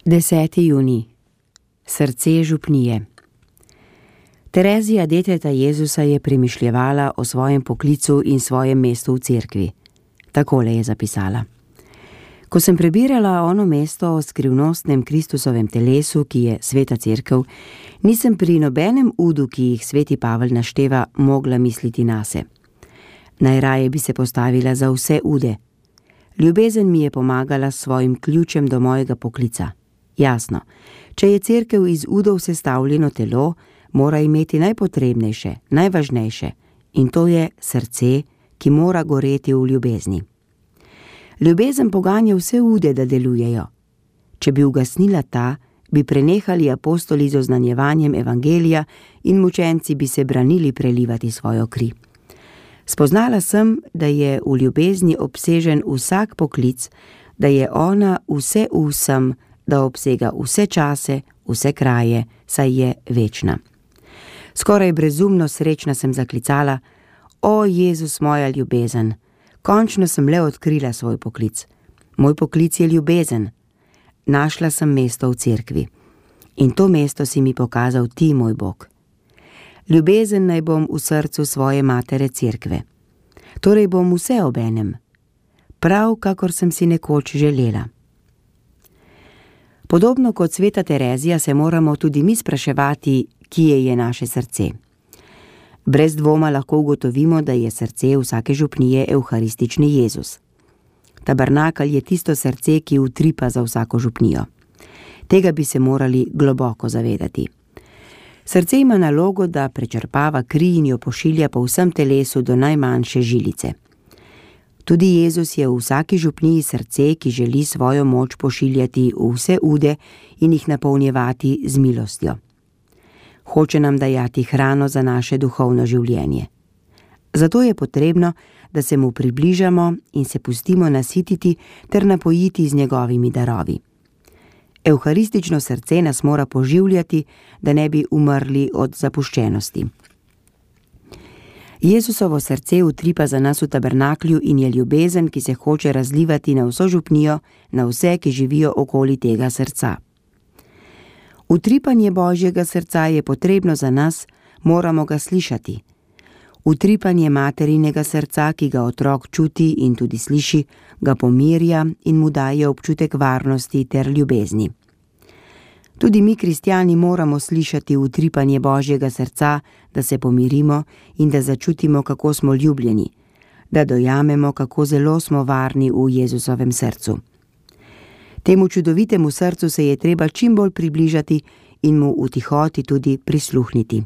10. junij. Srce župnije. Terezija, deteta Jezusa, je premišljevala o svojem poklicu in svojem mestu v cerkvi. Takole je zapisala. Ko sem prebirala ono mesto o skrivnostnem Kristusovem telesu, ki je sveta cerkev, nisem pri nobenem udu, ki jih sveti Pavel našteva, mogla misliti nase. Najraje bi se postavila za vse ude. Ljubezen mi je pomagala s svojim ključem do mojega poklica. Jasno, če je cerkev iz udov sestavljeno telo, mora imeti najpotrebnejše, najvažnejše, in to je srce, ki mora goreti v ljubezni. Ljubezen poganja vse ude, da delujejo. Če bi ugasnila ta, bi prenehali apostoli z oznanjevanjem evangelija in mučenci bi se branili prelivati svojo kri. Spoznala sem, da je v ljubezni obsežen vsak poklic, da je ona vse v vsem, da obsega vse čase, vse kraje, saj je večna. Skoraj brezumno srečna sem zaklicala: O, Jezus, moja ljubezen! Končno sem le odkrila svoj poklic. Moj poklic je ljubezen. Našla sem mesto v cerkvi. In to mesto si mi pokazal ti, moj Bog. Ljubezen naj bom v srcu svoje matere cerkve. Torej bom vse obenem. Prav, kakor sem si nekoč želela. Podobno kot sveta Terezija se moramo tudi mi spraševati, kje je naše srce. Brez dvoma lahko ugotovimo, da je srce vsake župnije evharistični Jezus. Tabernakelj je tisto srce, ki utripa za vsako župnijo. Tega bi se morali globoko zavedati. Srce ima nalogo, da prečrpava kri in jo pošilja po vsem telesu do najmanjše žilice. Tudi Jezus je v vsaki župniji srce, ki želi svojo moč pošiljati v vse ude in jih napolnjevati z milostjo. Hoče nam dajati hrano za naše duhovno življenje. Zato je potrebno, da se mu približamo in se pustimo nasititi ter napojiti z njegovimi darovi. Evharistično srce nas mora poživljati, da ne bi umrli od zapuščenosti. Jezusovo srce utripa za nas v tabernaklju in je ljubezen, ki se hoče razlivati na vso župnijo, na vse, ki živijo okoli tega srca. Utripanje Božjega srca je potrebno za nas, moramo ga slišati. Utripanje materinega srca, ki ga otrok čuti in tudi sliši, ga pomirja in mu daje občutek varnosti ter ljubezni. Tudi mi, kristjani, moramo slišati utripanje Božjega srca, da se pomirimo in da začutimo, kako smo ljubljeni, da dojamemo, kako zelo smo varni v Jezusovem srcu. Temu čudovitemu srcu se je treba čim bolj približati in mu v tihoti tudi prisluhniti.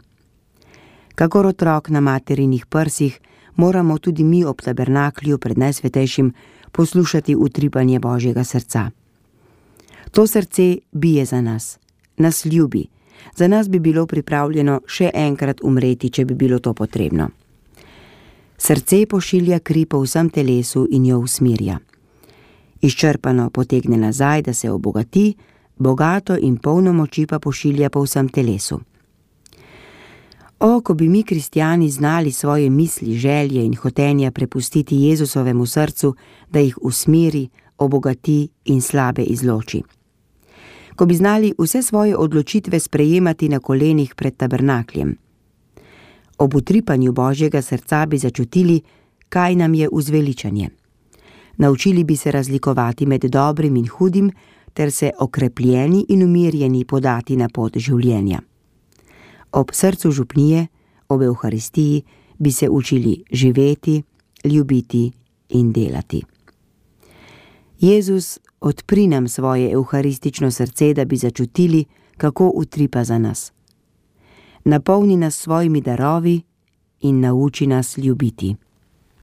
Kakor otrok na materinih prsih, moramo tudi mi ob tabernaklju pred Najsvetejšim poslušati utripanje Božjega srca. To srce bije za nas ljubi, za nas bi bilo pripravljeno še enkrat umreti, če bi bilo to potrebno. Srce pošilja kri po vsem telesu in jo usmirja. Izčrpano potegne nazaj, da se obogati, bogato in polno moči pa pošilja po vsem telesu. O, ko bi mi, kristjani, znali svoje misli, želje in hotenja prepustiti Jezusovemu srcu, da jih usmiri, obogati in slabe izloči. Ko bi znali vse svoje odločitve sprejemati na kolenih pred tabernakljem. Ob utripanju Božjega srca bi začutili, kaj nam je uzveličanje. Naučili bi se razlikovati med dobrim in hudim, ter se okrepljeni in umirjeni podati na pot življenja. Ob srcu župnije, ob evharistiji, bi se učili živeti, ljubiti in delati. Jezus, odpri nam svoje evharistično srce, da bi začutili, kako utripa za nas. Napolni nas svojimi darovi in nauči nas ljubiti.